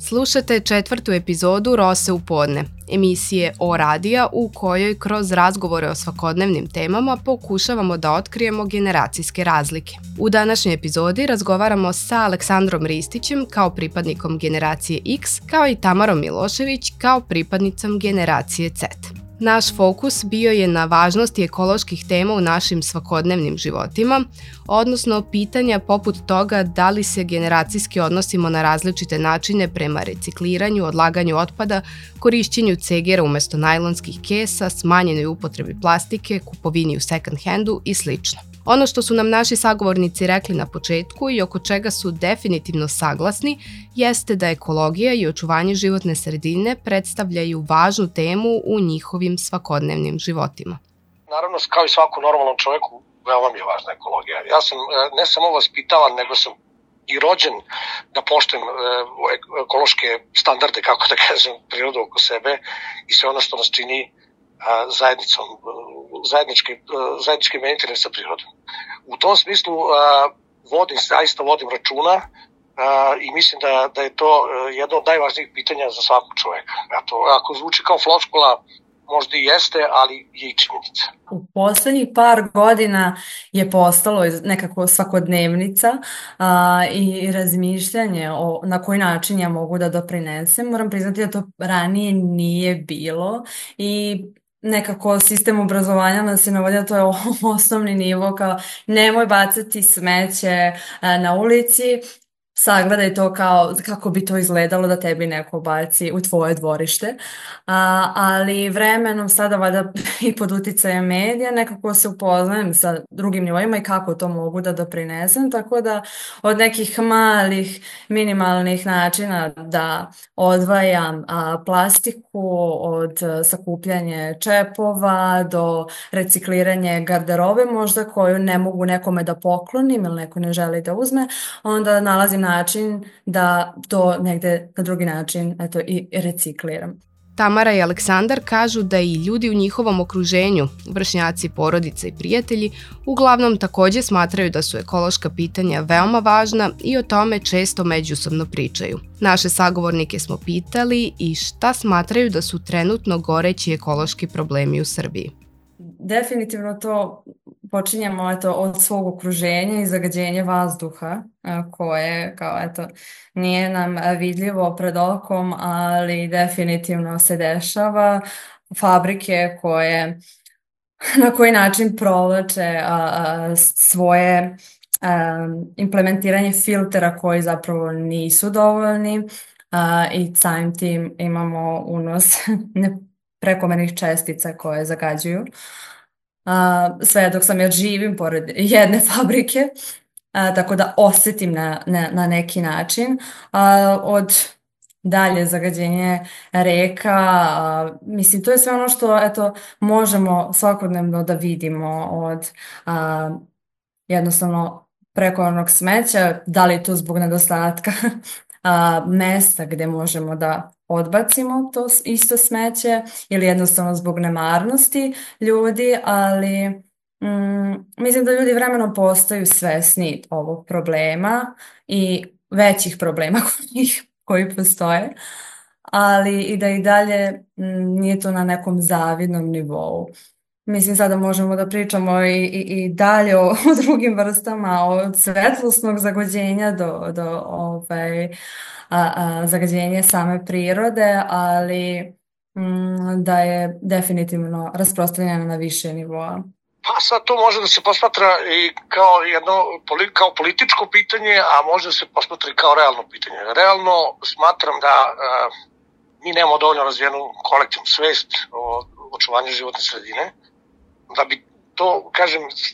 Slušate 4. epizodu Rose u podne, emisije O radija u kojoj kroz razgovore o svakodnevnim temama pokušavamo da otkrijemo generacijske razlike. U današnjoj epizodi razgovaramo sa Aleksandrom Ristićem kao pripadnikom generacije X, kao i Tamarom Milošević kao pripadnicom generacije Z. Naš fokus bio je na važnosti ekoloških tema u našim svakodnevnim životima, odnosno pitanja poput toga da li se generacijski odnosimo na različite načine prema recikliranju, odlaganju otpada, korišćenju cegera umesto najlonskih kesa, smanjenoj upotrebi plastike, kupovini u second handu i sl. Ono što su nam naši sagovornici rekli na početku i oko čega su definitivno saglasni jeste da ekologija i očuvanje životne sredine predstavljaju važnu temu u njihovim svakodnevnim životima. Naravno, kao i svakom normalnom čoveku, veoma mi je važna ekologija. Ja sam ne samo vaspitavan, nego sam i rođen da poštujem ekološke standarde, kako da kažem, prirodu oko sebe i sve ono što nas čini zajednicom, zajedničkim interesa sa prirodom. U tom smislu zaista vodim računa i mislim da je to jedno od najvažnijih pitanja za svakog čoveka. Ako zvuči kao floskula, možda i jeste, ali je i činjenica. U poslednjih par godina je postalo nekako svakodnevnica i razmišljanje na koji način ja mogu da doprinesem. Moram priznati da to ranije nije bilo i nekako sistem obrazovanja nas je navodio, to je osnovni nivo, kao nemoj bacati smeće na ulici, sagledaj to kako bi to izgledalo da tebi neko baci u tvoje dvorište, ali vremenom sada valjda i pod uticajem medija nekako se upoznajem sa drugim nivoima i kako to mogu da doprinesem, tako da od nekih malih minimalnih načina da odvajam plastiku od sakupljanja čepova do recikliranja garderobe možda koju ne mogu nekome da poklonim ili neko ne želi da uzme, onda nalazim način da to negde na drugi način i recikliram. Tamara i Aleksandar kažu da i ljudi u njihovom okruženju, vršnjaci, porodice i prijatelji, uglavnom takođe smatraju da su ekološka pitanja veoma važna i o tome često međusobno pričaju. Naše sagovornike smo pitali i šta smatraju da su trenutno goreći ekološki problemi u Srbiji. Definitivno to počinjemo od svog okruženja i zagađenja vazduha koje nije nam vidljivo pred okom, ali definitivno se dešava. Fabrike koje na koji način provlače svoje implementiranje filtera koji zapravo nisu dovoljni i samim tim imamo unos prekomernih čestica koje zagađuju. Sve dok sam ja živim pored jedne fabrike, tako da osetim na neki način. Od dalje zagađenje reka, mislim to je sve ono što možemo svakodnevno da vidimo od jednostavno prekomernog smeća, da li je to zbog nedostatka mesta gde možemo da odbacimo to isto smeće ili jednostavno zbog nemarnosti ljudi, ali mislim da ljudi vremenom postaju svesni ovog problema i većih problema koji postoje, ali i da i dalje nije to na nekom zavidnom nivou. Mislim, sada možemo da pričamo i dalje o drugim vrstama, od svetlosnog zagađenja do zagađenja same prirode, ali da je definitivno rasprostranjeno na više nivoa. Pa sad to može da se posmatra i kao političko pitanje, a može da se posmatra i kao realno pitanje. Realno smatram da mi nemamo dovoljno razvijenu kolektivnu svest o očuvanju životne sredine, da bi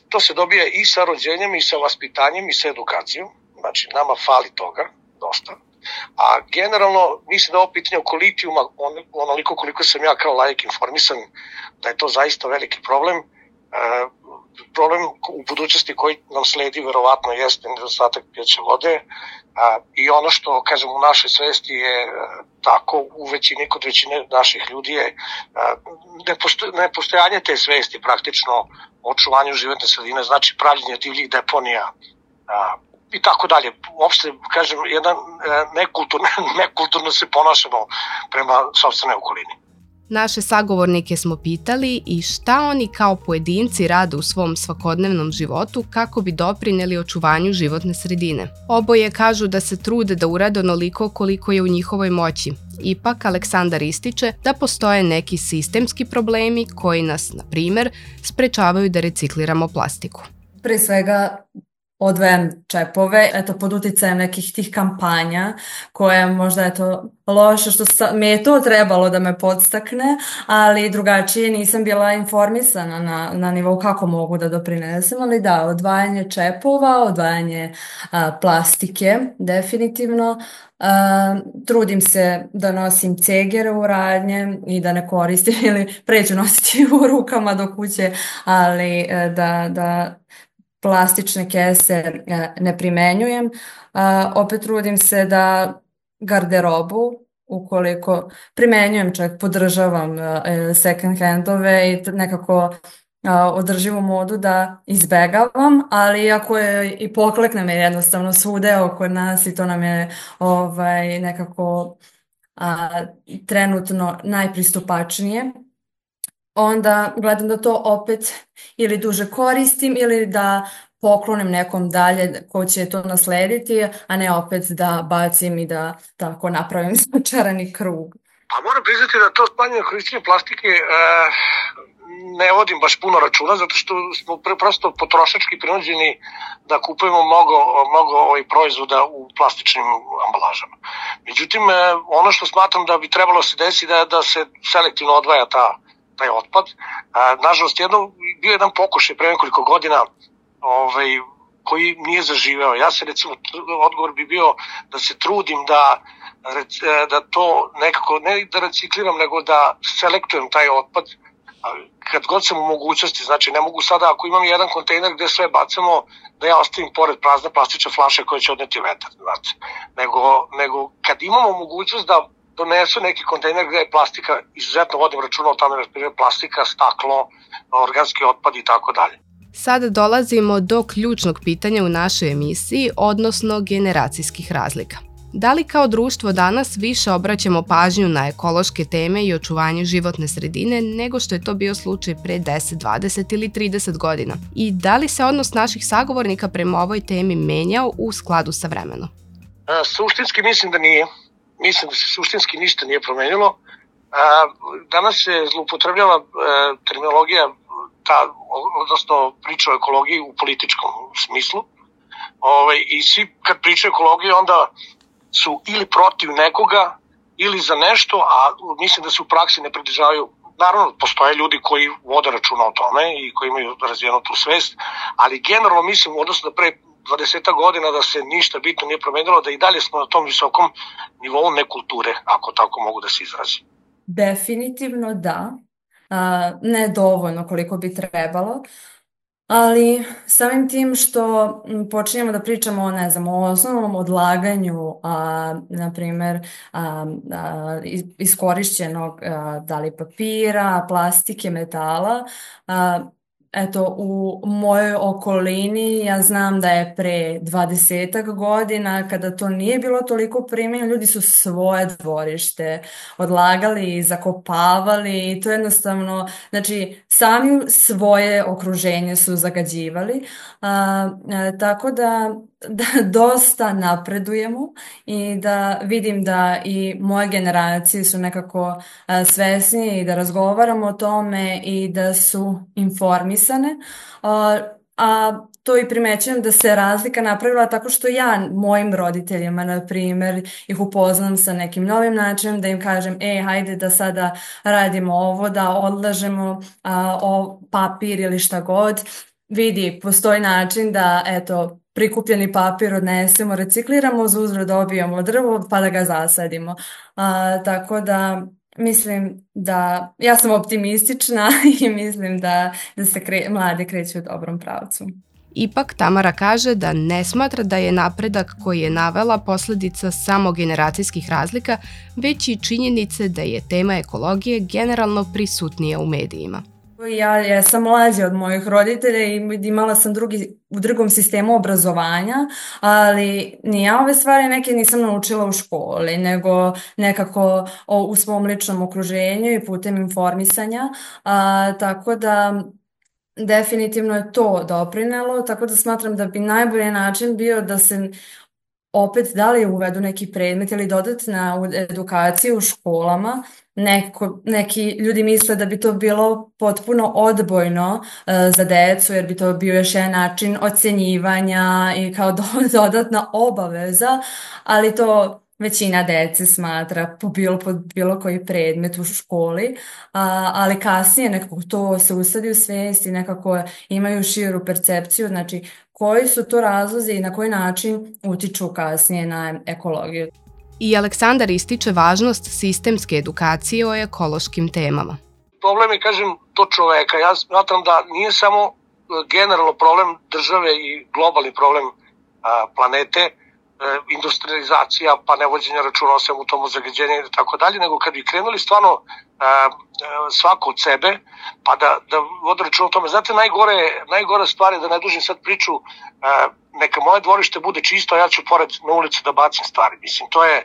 to se dobija i sa rođenjem i sa vaspitanjem i sa edukacijom. Znači, nama fali toga dosta. A generalno, mislim da ovo pitanje oko litijuma, onoliko koliko sam ja kao laik informisan, da je to zaista veliki problem. Problem u budućnosti koji nam sledi verovatno jeste nedostatak pijaće vode i ono što, kažem, u našoj svesti je tako, kod većine naših ljudi je nepostojanje te svesti praktično o očuvanju životne sredine, znači pravljenje divljih deponija i tako dalje. Uopšte, kažem, nekulturno se ponašamo prema sopstvenoj okolini. Naše sagovornike smo pitali i šta oni kao pojedinci rade u svom svakodnevnom životu kako bi doprineli očuvanju životne sredine. Oboje kažu da se trude da urade onoliko koliko je u njihovoj moći. Ipak, Aleksandar ističe da postoje neki sistemski problemi koji nas, na primer, sprečavaju da recikliramo plastiku. Pre svega, odvajam čepove, pod uticajem nekih tih kampanja koje možda loše što mi je to trebalo da me podstakne, ali drugačije nisam bila informisana na nivou kako mogu da doprinesem, ali da, odvajanje čepova, odvajanje plastike, definitivno. Trudim se da nosim cegere u radnje i da ne koristim ili preću nositi u rukama do kuće, ali da plastične kese ne primenjujem. Opet trudim se da garderobu, ukoliko primenjujem, čak podržavam second handove i nekako održivu modu da izbegavam, ali ako je i poklekne me jednostavno svude oko nas i to nam je nekako trenutno najpristupačnije, onda gledam da to opet ili duže koristim ili da poklonim nekom dalje ko će to naslediti, a ne opet da bacim i da tako napravim začarani krug. Pa moram priznati da to smanjenje korišćenja plastike ne vodim baš puno računa, zato što smo prosto potrošački prinuđeni da kupujemo mnogo proizvoda u plastičnim ambalažama. Međutim, ono što smatram da bi trebalo se desiti da se selektivno odvaja taj otpad. Nažalost, bio jedan pokušaj pre nekoliko godina koji nije zaživeo. Ja se recimo, odgovor bi bio da se trudim da to nekako, ne da recikliram, nego da selektujem taj otpad kad god sam u mogućnosti. Znači, ne mogu sada, ako imam jedan kontejner gde sve bacamo, da ja ostavim pored prazne plastične flaše koje će odneti vetar. Znači, nego kad imamo mogućnost da donesu neki kontejner gde je plastika, izuzetno vodim računa o tome, plastika, staklo, organski otpad i tako dalje. Sada dolazimo do ključnog pitanja u našoj emisiji, odnosno generacijskih razlika. Da li kao društvo danas više obraćamo pažnju na ekološke teme i očuvanje životne sredine nego što je to bio slučaj pre 10, 20 ili 30 godina? I da li se odnos naših sagovornika prema ovoj temi menjao u skladu sa vremenom? Suštinski mislim da nije. Mislim da se suštinski ništa nije promenilo. Danas se zloupotrebljava terminologija, odnosno priča o ekologiji u političkom smislu. I svi kad pričaju o ekologiji onda su ili protiv nekoga ili za nešto, a mislim da se u praksi ne pridržavaju. Naravno, postoje ljudi koji vode računa o tome i koji imaju razvijenu tu svest, ali generalno mislim, odnosno da pre 20 godina da se ništa bitno nije promenilo, da i dalje smo na tom visokom nivou nekulture, ako tako mogu da se izrazim. Definitivno da. Ne dovoljno koliko bi trebalo, ali samim tim što počinjemo da pričamo o osnovnom odlaganju, na primer iskorišćenog da li papira, plastike, metala, u mojoj okolini ja znam da je pre 20 godina, kada to nije bilo toliko primenjeno, ljudi su svoje dvorište odlagali i zakopavali i to jednostavno, znači sami svoje okruženje su zagađivali, tako da dosta napredujemo i da vidim da i moje generacije su nekako svesnije i da razgovaramo o tome i da su informisane, a to i primećujem da se razlika napravila tako što ja mojim roditeljima, na primjer, ih upoznam sa nekim novim načinom, da im kažem, hajde da sada radimo ovo, da odlažemo papir ili šta god. Vidi, postoji način da, prikupljeni papir odnesemo, recikliramo, uz uzvrat dobijemo drvo pa da ga zasadimo. Tako da mislim da, ja sam optimistična i mislim da se mladi kreću u dobrom pravcu. Ipak Tamara kaže da ne smatra da je napredak koji je navela posledica samo generacijskih razlika, već i činjenice da je tema ekologije generalno prisutnija u medijima. Ja sam mlađa od mojih roditelja i imala sam u drugom sistemu obrazovanja, ali ni ja ove stvari neke nisam naučila u školi, nego nekako u svom ličnom okruženju i putem informisanja, tako da definitivno je to doprinelo, tako da smatram da bi najbolji način bio da se opet da li uvedu neki predmet ili dodatna edukacija u školama. Neki ljudi misle da bi to bilo potpuno odbojno za decu, jer bi to bio još jedan način ocenjivanja i kao dodatna obaveza, ali to većina dece smatra pod bilo koji predmet u školi, ali kasnije nekako to se usadi u svijest i nekako imaju širu percepciju, znači koji su to razlozi i na koji način utiču kasnije na ekologiju. I Aleksandar ističe važnost sistemske edukacije o ekološkim temama. Problem je, kažem, to čoveka. Ja smatram da nije samo generalno problem države i globalni problem planete, industrializacija, pa nevođenje računa o svemu tomu, zagađenje i tako dalje, nego kad bi krenuli stvarno svako od sebe, pa da vode računa o tome. Znate, najgore stvari, da ne dužim sad priču, neka moje dvorište bude čisto, a ja ću pored na ulicu da bacim stvari. Mislim, to je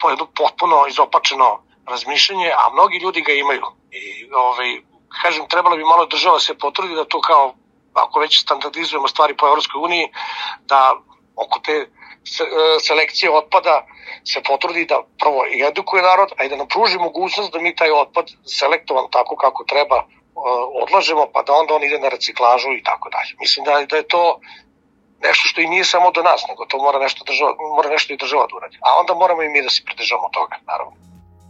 jedno potpuno izopačeno razmišljanje, a mnogi ljudi ga imaju. I, kažem, trebalo bi malo država se potrudi da to kao, ako već standardizujemo stvari po Evropskoj uniji, da oko te selekcije otpada se potrudi da prvo i edukuje narod, a i da nam pruži mogućnost da mi taj otpad selektovan tako kako treba odlažemo, pa da onda on ide na reciklažu i tako dalje. Mislim da je to nešto što i nije samo do nas, nego to mora nešto i država da uradi. A onda moramo i mi da se pridržavamo toga, naravno.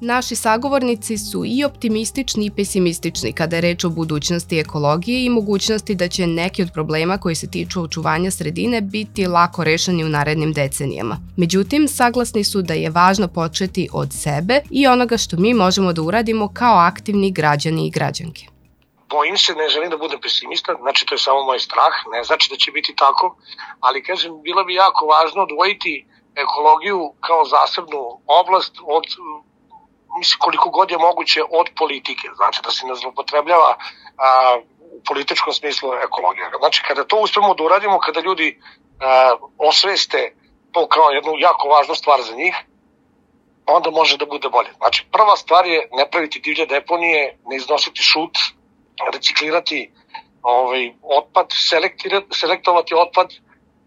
Naši sagovornici su i optimistični i pesimistični kada je reč o budućnosti ekologije i mogućnosti da će neki od problema koji se tiču očuvanja sredine biti lako rešeni u narednim decenijama. Međutim, saglasni su da je važno početi od sebe i onoga što mi možemo da uradimo kao aktivni građani i građanke. Bojim se, ne želim da budem pesimista, znači to je samo moj strah, ne znači da će biti tako, ali kažem, bilo bi jako važno odvojiti ekologiju kao zasebnu oblast od koliko god je moguće od politike, znači da se ne zloupotrebljava u političkom smislu ekologija. Znači kada to uspemo da uradimo, kada ljudi osveste to kao jednu jako važnu stvar za njih, onda može da bude bolje. Znači prva stvar je ne praviti divlje deponije, ne iznositi šut, reciklirati otpad, selektovati otpad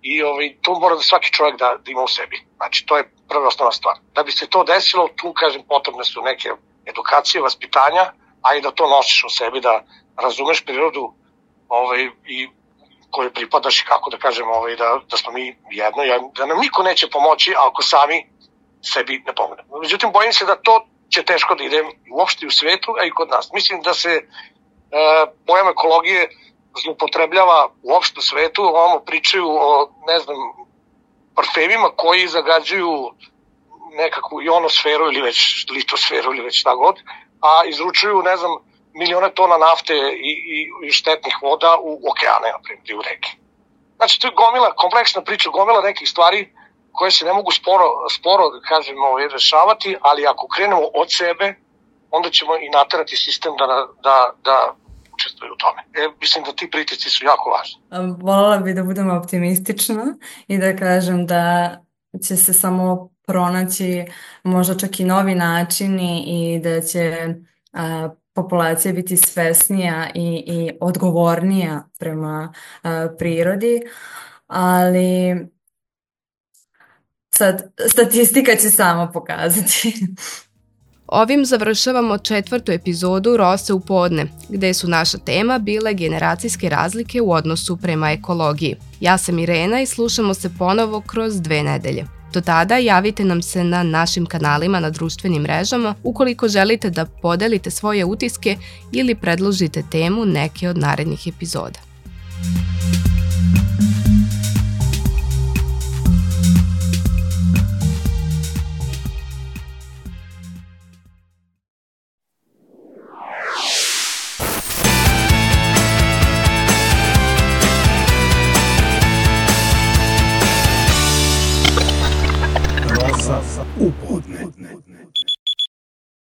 i to mora da svaki čovjek da ima u sebi. Znači to je prva osnovna stvar. Da bi se to desilo, tu kažem potrebne su neke edukacije, vaspitanja, a i da to nosiš u sebi, da razumeš prirodu i kojoj pripadaš i kako da kažem da smo mi jedno, da nam niko neće pomoći ako sami sebi ne pomognemo. Međutim, bojim se da to će teško da ide uopšte u svetu, a i kod nas. Mislim da se pojam ekologije zloupotrebljava uopšte u svetu, ovamo pričaju o, parfemima koji zagađuju nekakvu ionosferu ili već litosferu ili već šta god, a izručuju, milione tona nafte i štetnih voda u okeane, naprimjer, i u reke. Znači, to je kompleksna priča, gomila nekih stvari koje se ne mogu sporo rešavati, ali ako krenemo od sebe, onda ćemo i naterati sistem da učestvuju u tome. Mislim da ti pritisci su jako važni. Voljela bih da budem optimistična i da kažem da će se samo pronaći možda čak i novi načini i da će populacija biti svesnija i odgovornija prema prirodi, ali sad statistika će samo pokazati. Ovim završavamo 4. epizodu Rose u podne, gde su naša tema bile generacijske razlike u odnosu prema ekologiji. Ja sam Irena i slušamo se ponovo kroz 2 nedelje. Do tada javite nam se na našim kanalima na društvenim mrežama ukoliko želite da podelite svoje utiske ili predložite temu neke od narednih epizoda. U podne.